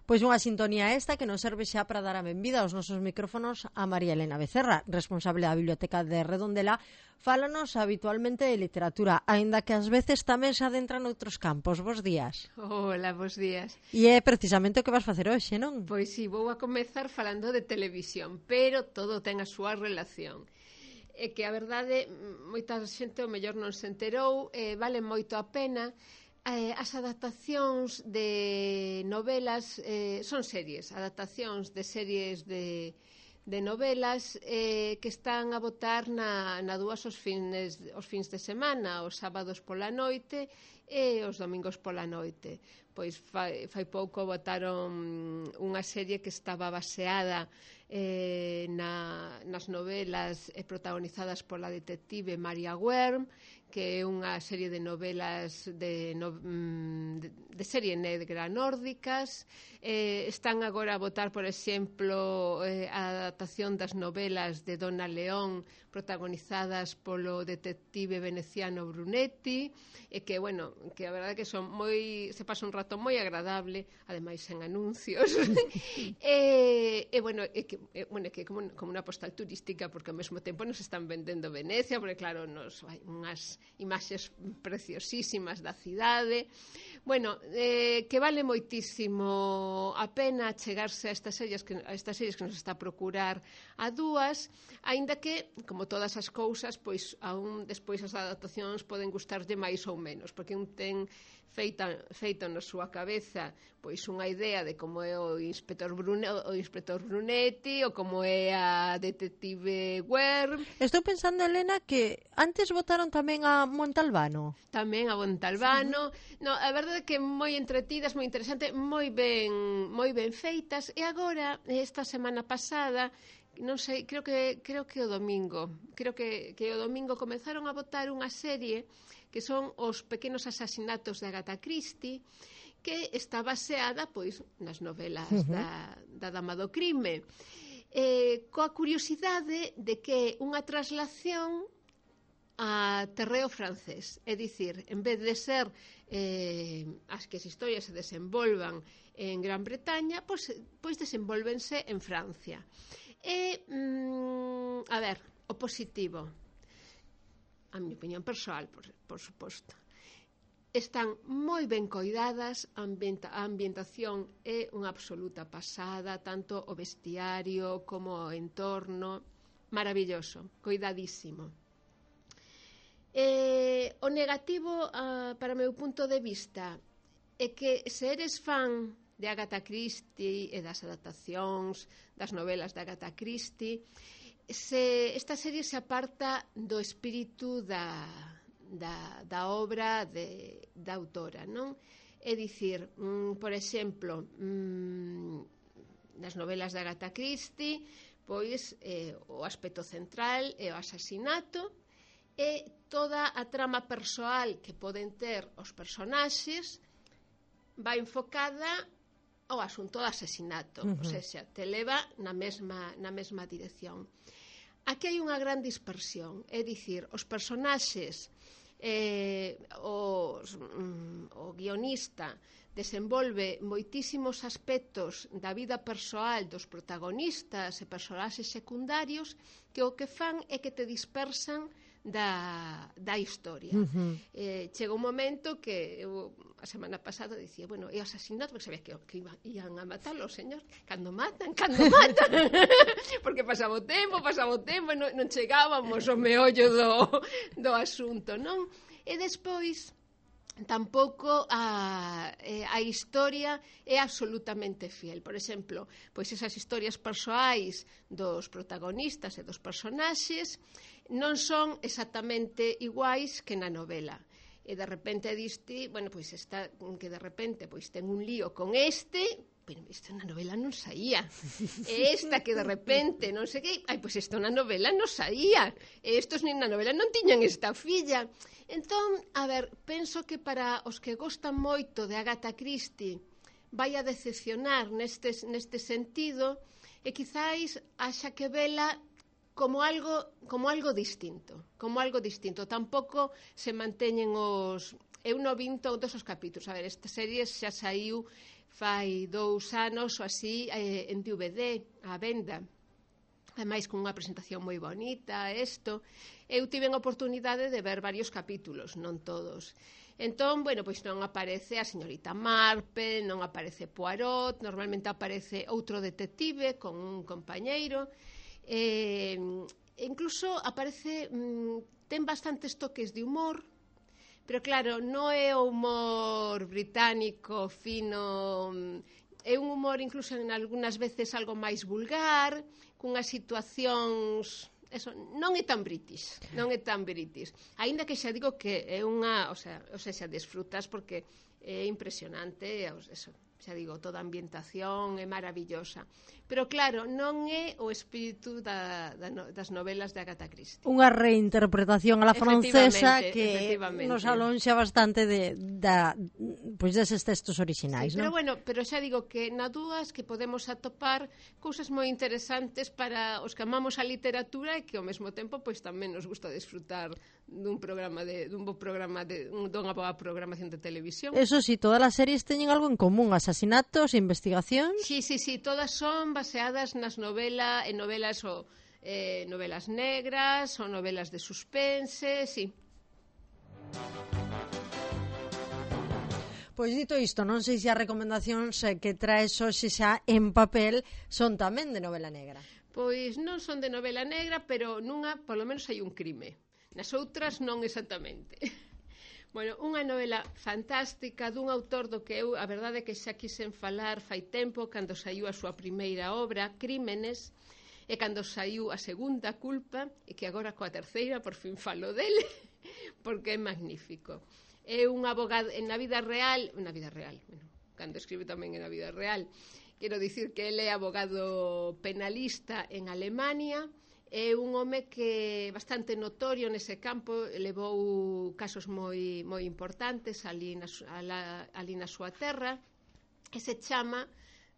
Pois unha sintonía esta que nos serve xa para dar a benvida aos nosos micrófonos a María Elena Becerra, responsable da Biblioteca de Redondela. Fálanos habitualmente de literatura, aínda que ás veces tamén se adentra noutros campos. Bos días. Hola, bos días. E é precisamente o que vas facer hoxe, non? Pois si, vou a comezar falando de televisión, pero todo ten a súa relación. É que a verdade, moita xente o mellor non se enterou, vale moito a pena. As adaptacións de novelas son series, adaptacións de series de novelas que están a botar na dúas os fins de semana, os sábados pola noite e os domingos pola noite. Pois fai pouco botaron unha serie que estaba baseada nas novelas protagonizadas pola detective Maria Wern, que é unha serie de novelas de serie negra nórdicas. Están agora a botar, por exemplo, a adaptación das novelas de Donna León protagonizadas polo detective veneciano Brunetti, e que, bueno, que a verdade que son se pasa un rato moi agradable, ademais en anuncios. Bueno, é que como unha postal turística, porque ao mesmo tempo nos están vendendo Venecia, porque claro, hai unhas imaxes preciosísimas da cidade. Bueno, que vale moitísimo a pena chegarse a estas series que nos está a procurar a dúas, aínda que, como todas as cousas, pois aún despois as adaptacións poden gustarlle máis ou menos, porque un ten feito na súa cabeza pois unha idea de como é o inspector Brunetti ou como é a detective Wern. Estou pensando, Elena, que antes votaron tamén a Montalbano. Tamén a Montalbano. Sí. No, a verdade é que moi entretidas, moi interesante, moi ben feitas. E agora, esta semana pasada, non sei, creo que o domingo comezaron a botar unha serie que son os pequenos asasinatos de Agatha Christie, que está baseada pois nas novelas da Dama do Crime, coa curiosidade de que unha traslación a terreo francés, é dicir, en vez de ser as historias se desenvolvan en Gran Bretaña, pois desenvolvense en Francia. A ver, o positivo, a miña opinión persoal, por suposto, están moi ben coidadas, a ambientación é unha absoluta pasada, tanto o vestiario como o entorno, maravilloso, coidadísimo. O negativo, para o meu punto de vista, é que se eres fan de Agatha Christie e das adaptacións das novelas de Agatha Christie, esta serie se aparta do espírito da obra da autora, non? É dicir, por exemplo, nas novelas de Agatha Christie, pois o aspecto central é o asasinato e toda a trama persoal que poden ter os personaxes vai enfocada ao asunto do asasinato, ou seja, te leva na mesma dirección. Aquí hai unha gran dispersión, é dicir, os personaxes, o guionista desenvolve moitísimos aspectos da vida persoal dos protagonistas e personaxes secundarios que o que fan é que te dispersan da historia. Chega un momento que eu a semana pasada dicía, bueno, é o asasinato, porque sabía que iban a matalo, señor, cando matan porque pasaba o tempo e non chegábamos ao meollo do asunto, non? E despois tampouco a historia é absolutamente fiel. Por exemplo, pois esas historias persoais dos protagonistas e dos personaxes non son exactamente iguais que na novela. E de repente diste, bueno, pois está que de repente pois ten un lío con pero isto na novela non saía. E esta que de repente non sei que, pois isto na novela non saía. E estos nin na novela non tiñan esta filla. Entón, a ver, penso que para os que gostan moito de Agatha Christie vai a decepcionar neste sentido, e quizáis haxa que vela como algo distinto. Tampouco se manteñen os... Eu non vin todos os capítulos. A ver, esta serie xa saiu fai 2 anos ou así en DVD á venda, ademais con unha presentación moi bonita, eu tive a oportunidade de ver varios capítulos, non todos. Entón, bueno, pois non aparece a señorita Marple, non aparece Poirot, normalmente aparece outro detective con un compañeiro, incluso aparece, ten bastantes toques de humor, pero claro, non é o humor británico fino, é un humor incluso en algunhas veces algo máis vulgar, cunhas situacións, eso, non é tan british, aínda que xa digo que é unha, o sea, desfrutas porque é impresionante, eso, xa digo, toda a ambientación é maravillosa, pero claro, non é o espírito das novelas de Agatha Christie. Unha reinterpretación a la francesa que nos alonxa bastante pois deses textos orixinais, sí, non? Pero xa digo que na dúas que podemos atopar cousas moi interesantes para os que amamos a literatura e que ao mesmo tempo pois tamén nos gusta disfrutar dunha boa programación de televisión. Eso sí, todas as series teñen algo en común, asasinatos, investigacións. Sí, todas son baseadas nas novelas negras ou novelas de suspense, sí. Pois dito isto, non sei se as recomendacións que traes hoxe xa en papel son tamén de novela negra. Pois non son de novela negra, pero nunha, polo menos, hai un crime. Nas outras non exactamente. Bueno, unha novela fantástica dun autor do que eu, a verdade é que xa quixen falar fai tempo, cando saiu a súa primeira obra, Crímenes, e cando saiu a segunda, Culpa, e que agora coa terceira por fin falo dele, porque é magnífico. É un abogado na vida real, bueno, cando escribe tamén na vida real, quero dicir que ele é abogado penalista en Alemania. É un home que bastante notorio nese campo, levou casos moi importantes ali na súa terra, e se chama,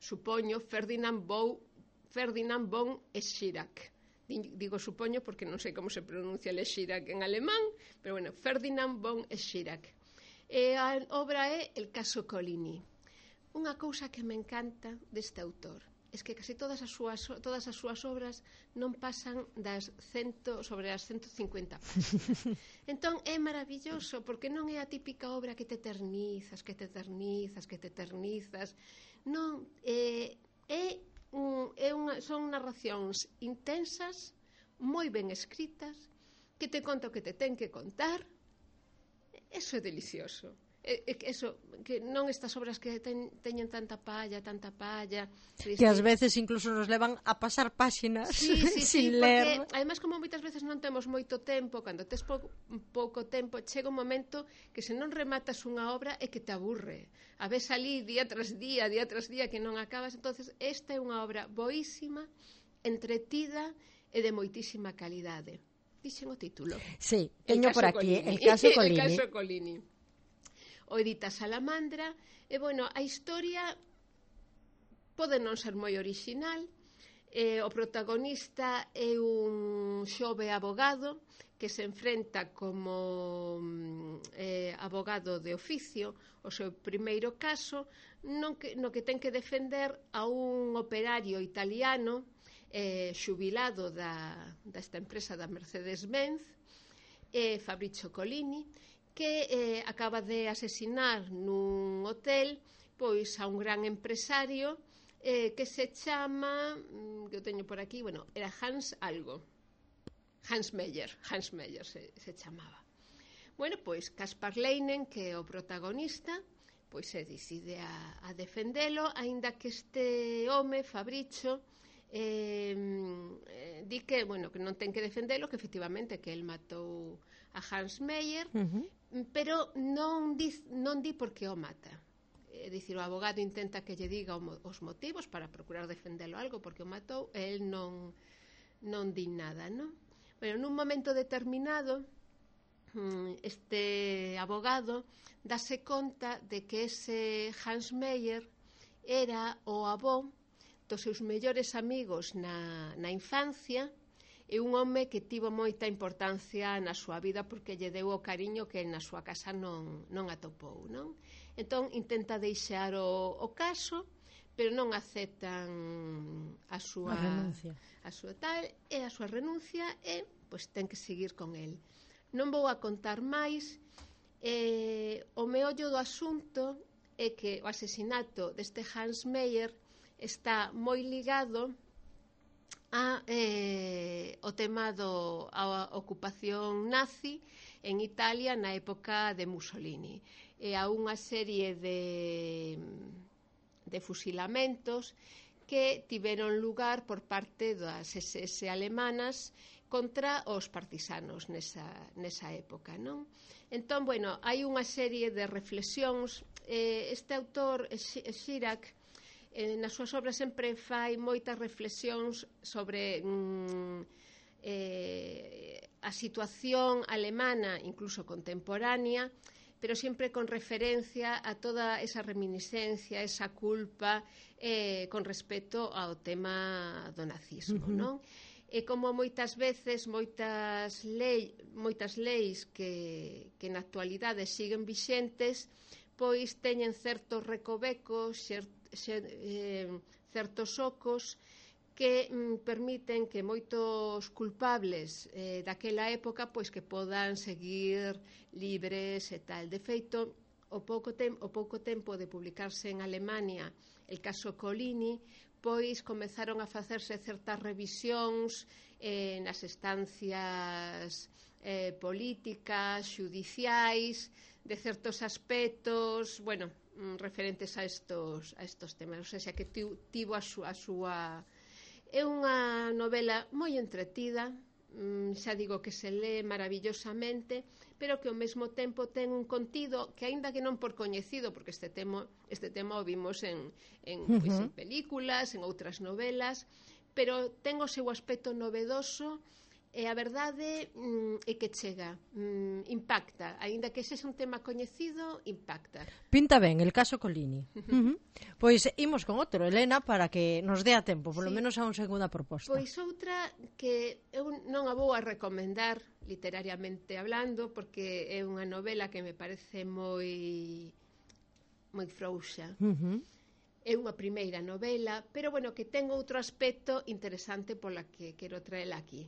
supoño, Ferdinand von Schirach. Digo supoño porque non sei como se pronuncia Schirach en alemán, pero bueno, Ferdinand von Schirach. E a obra é El caso Colini. Unha cousa que me encanta deste autor é que casi todas as súas obras non pasan sobre as 150 páginas. Entón é maravilloso, porque non é a típica obra que te eternizas. Non, son narracións intensas, moi ben escritas, que te conta o que te ten que contar. Eso é delicioso. Eso, que non estas obras que teñen tanta palla, que ás veces incluso nos levan a pasar páxinas sin ler, porque además como moitas veces non temos moito tempo, cando tes pouco tempo chega un momento que se non rematas unha obra é que te aburre, a ves ali día tras día que non acabas. Entonces esta é unha obra boísima, entretida e de moitísima calidade. Dixen o título? Sí, teño por aquí El caso Colini. El caso Colini. O edita Salamandra, e bueno, a historia pode non ser moi orixinal. O protagonista é un xove abogado que se enfrenta como abogado de oficio o seu primeiro caso, no que ten que defender a un operario italiano xubilado desta empresa da Mercedes-Benz, Fabrizio Colini, que acaba de asesinar nun hotel pois a un gran empresario que se chama, que o teño por aquí, bueno, era Hans Meyer se chamaba. Bueno, pois Caspar Leinen, que é o protagonista, pois se decide a defendelo, aínda que este home, Fabrizio, di que, bueno, que non ten que defendelo, que efectivamente que el matou a Hans Meyer, pero non di por que o mata. É dicir, o abogado intenta que lle diga os motivos para procurar defendelo algo porque o matou, e el non di nada, non? Bueno, nun momento determinado este abogado dase conta de que ese Hans Meyer era o avó dos seus mellores amigos na infancia, é un home que tivo moita importancia na súa vida porque lle deu o cariño que na súa casa non atopou, non? Entón intenta deixar o caso, pero non aceptan a súa renuncia e pois ten que seguir con el. Non vou a contar máis. O meollo do asunto é que o asesinato deste Hans Meyer está moi ligado ao tema a ocupación nazi en Italia na época de Mussolini e a unha serie de fusilamentos que tiveron lugar por parte das SS alemanas contra os partisanos nesa época, non? Entón, bueno, hai unha serie de reflexións. Este autor, Chirac, nas súas obras sempre fai moitas reflexións sobre a situación alemana, incluso contemporánea, pero sempre con referencia a toda esa reminiscencia, esa culpa con respecto ao tema do nazismo, non? E como moitas veces moitas leis que na actualidade siguen vixentes, pois teñen certos recovecos, certos ocos que permiten que moitos culpables daquela época pois que podan seguir libres e tal. De feito, o pouco tempo de publicarse en Alemania el caso Collini, pois comezaron a facerse certas revisións nas estancias políticas, xudiciais, de certos aspectos, bueno, referentes a estos temas. O sea, que tivo a súa... É unha novela moi entretida, xa digo que se lee maravillosamente, pero que ao mesmo tempo ten un contido que, aínda que non por coñecido, porque este tema o vimos en películas, en outras novelas, pero ten o seu aspecto novedoso e a verdade é que chega, impacta, aínda que sexa un tema coñecido, impacta. Pinta ben, el caso Collini. Pois imos con outro, Elena, para que nos dea tempo, polo menos a unha segunda proposta. Pois outra que eu non a vou a recomendar literariamente hablando, porque é unha novela que me parece moi frouxa. É unha primeira novela, pero bueno, que ten outro aspecto interesante pola que quero traela aquí.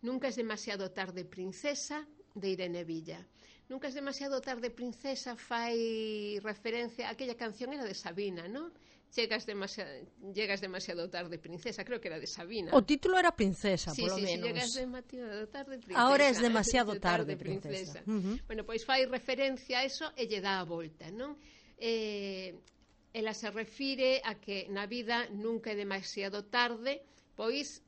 Nunca es demasiado tarde, princesa, de Irene Villa. Nunca es demasiado tarde, princesa, fai referencia a aquella canción, era de Sabina, ¿no? Llegas demasiado tarde, princesa, creo que era de Sabina. O título era Princesa, polo menos. Sí, llegas demasiado tarde, princesa. Ahora es demasiado tarde, princesa. Bueno, pois fai referencia a eso e lle dá a volta, non? Ela se refire a que na vida nunca é demasiado tarde, pois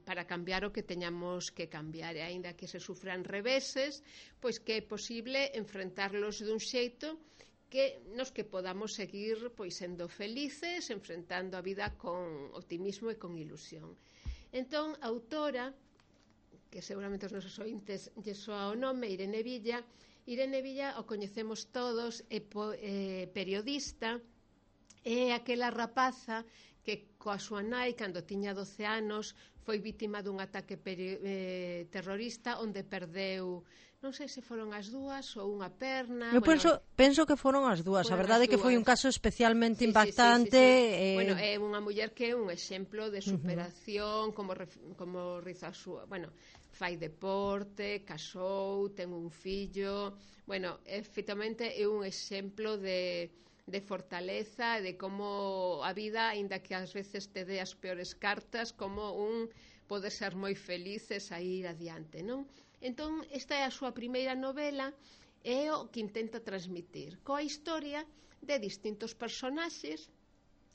para cambiar o que teñamos que cambiar, e aínda que se sufran reveses, pois que é posible enfrentarlos dun xeito que nos que podamos seguir pois sendo felices, enfrentando a vida con optimismo e con ilusión. Entón, a autora, que seguramente os nosos ointes lle soa o nome, Irene Villa o coñecemos todos, é periodista, é aquela rapaza que coa súa nai, cando tiña 12 anos, foi vítima dun ataque terrorista onde perdeu, non sei se foron as dúas ou unha perna. Eu penso que foron as dúas. A verdade é que foi un caso especialmente impactante. Bueno, é unha muller que é un exemplo de superación, como riza a súa... Bueno, fai deporte, casou, ten un fillo... Bueno, efectivamente é un exemplo de fortaleza, de como a vida, aínda que ás veces te dé as peores cartas, como un poder ser moi feliz e sair adiante, non? Entón, esta é a súa primeira novela e o que intenta transmitir coa historia de distintos personaxes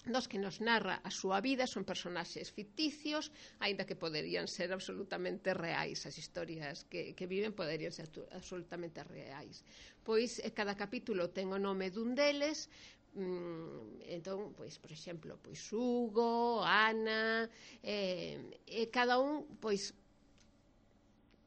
dos que nos narra a súa vida. Son personaxes ficticios, aínda que poderían ser absolutamente reais. As historias que viven poderían ser absolutamente reais. Pois cada capítulo ten o nome dun deles. Entón, pois, por exemplo, pois Hugo, Ana, cada un, pois,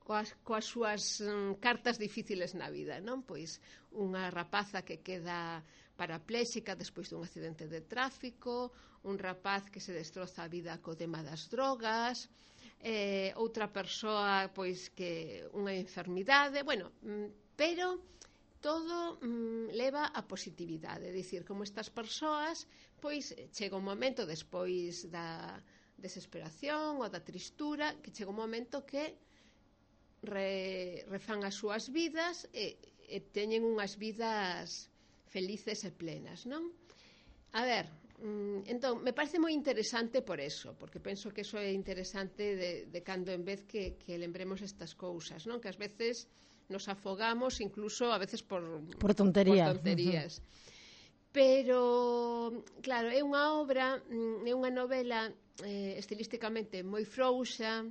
coas súas cartas difíciles na vida, non? Pois unha rapaza que queda parapléxica despois dun accidente de tráfico, un rapaz que se destroza a vida co tema das drogas, outra persoa pois que unha enfermidade, bueno, pero todo leva a positividade, é dicir, como estas persoas pois chega un momento despois da desesperación ou da tristura, que chega un momento que refan as súas vidas e teñen unhas vidas felices e plenas, non? A ver, entón, me parece moi interesante por eso, porque penso que eso é interesante de cando en vez que lembremos estas cousas, non? Que ás veces nos afogamos incluso a veces por tonterías. Pero, claro, é unha obra, é unha novela estilísticamente moi frouxa,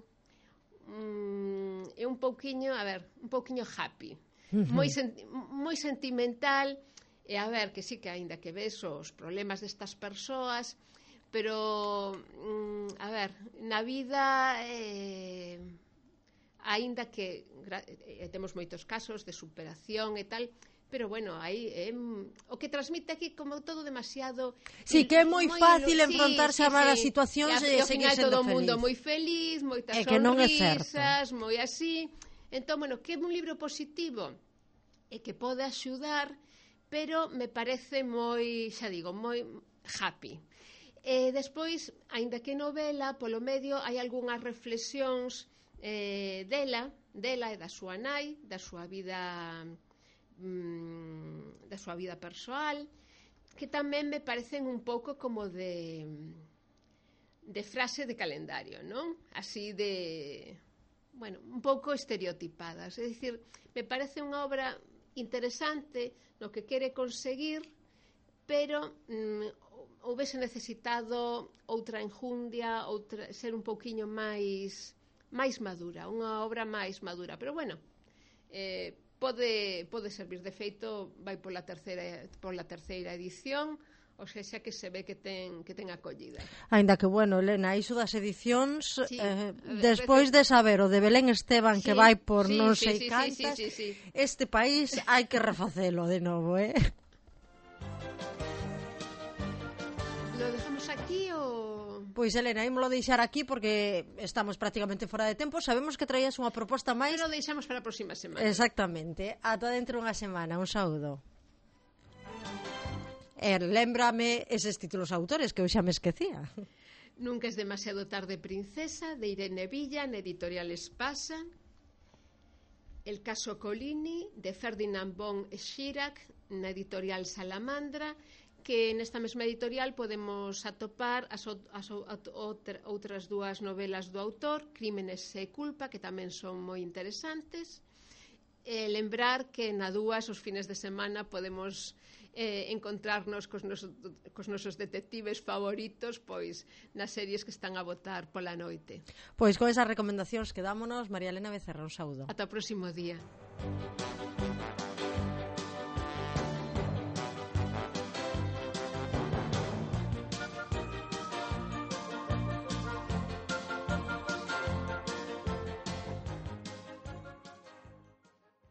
é un pouquiño, a ver, un pouquiño happy, moi sentimental. E a ver, que sí que aínda que ves os problemas destas persoas, pero, a ver, na vida, aínda que temos moitos casos de superación e tal, pero bueno, aí o que transmite aquí como todo demasiado... Sí, que é moi fácil enfrontarse a malas situacións e seguir sendo feliz. Todo o mundo moi feliz, moitas sonrisas, moi así. Entón, bueno, que é un libro positivo e que pode axudar, pero me parece moi, xa digo, moi happy. E despois, aínda que novela, polo medio hai algunhas reflexións dela e da súa nai, da súa vida persoal, que tamén me parecen un pouco como de frase de calendario, non? Así de, bueno, un pouco estereotipadas. É dicir, me parece unha obra interesante no que quere conseguir, pero houvese necesitado outra enjundia, ser un pouquiño máis madura, unha obra máis madura, pero bueno, pode servir. De feito, vai pola terceira edición, ou seja que se ve que ten acollida. Aínda que, bueno, Elena, iso das edicións, sí, despois de saber o de Belén Esteban, sí, que vai por non sei cantas, este país hai que refacelo de novo, Lo dejamos aquí ou... Pois, Elena, ímolo deixar aquí porque estamos prácticamente fora de tempo. Sabemos que traías unha proposta máis... Pero deixamos para a próxima semana. Exactamente. Ata dentro unha semana. Un saúdo. Lémbrame eses títulos autores que eu xa me esquecía. Nunca es demasiado tarde, princesa, de Irene Villa, na editorial Espasa. El caso Colini, de Ferdinand von Schirach, na editorial Salamandra, que nesta mesma editorial podemos atopar as outras dúas novelas do autor, Crímenes e culpa, que tamén son moi interesantes. Lembrar que na dúas os fines de semana podemos encontrarnos cos nosos detectives favoritos, pois nas series que están a botar pola noite. Pois con esas recomendacións quedámonos. María Elena Becerra, un saúdo. Ata o próximo día.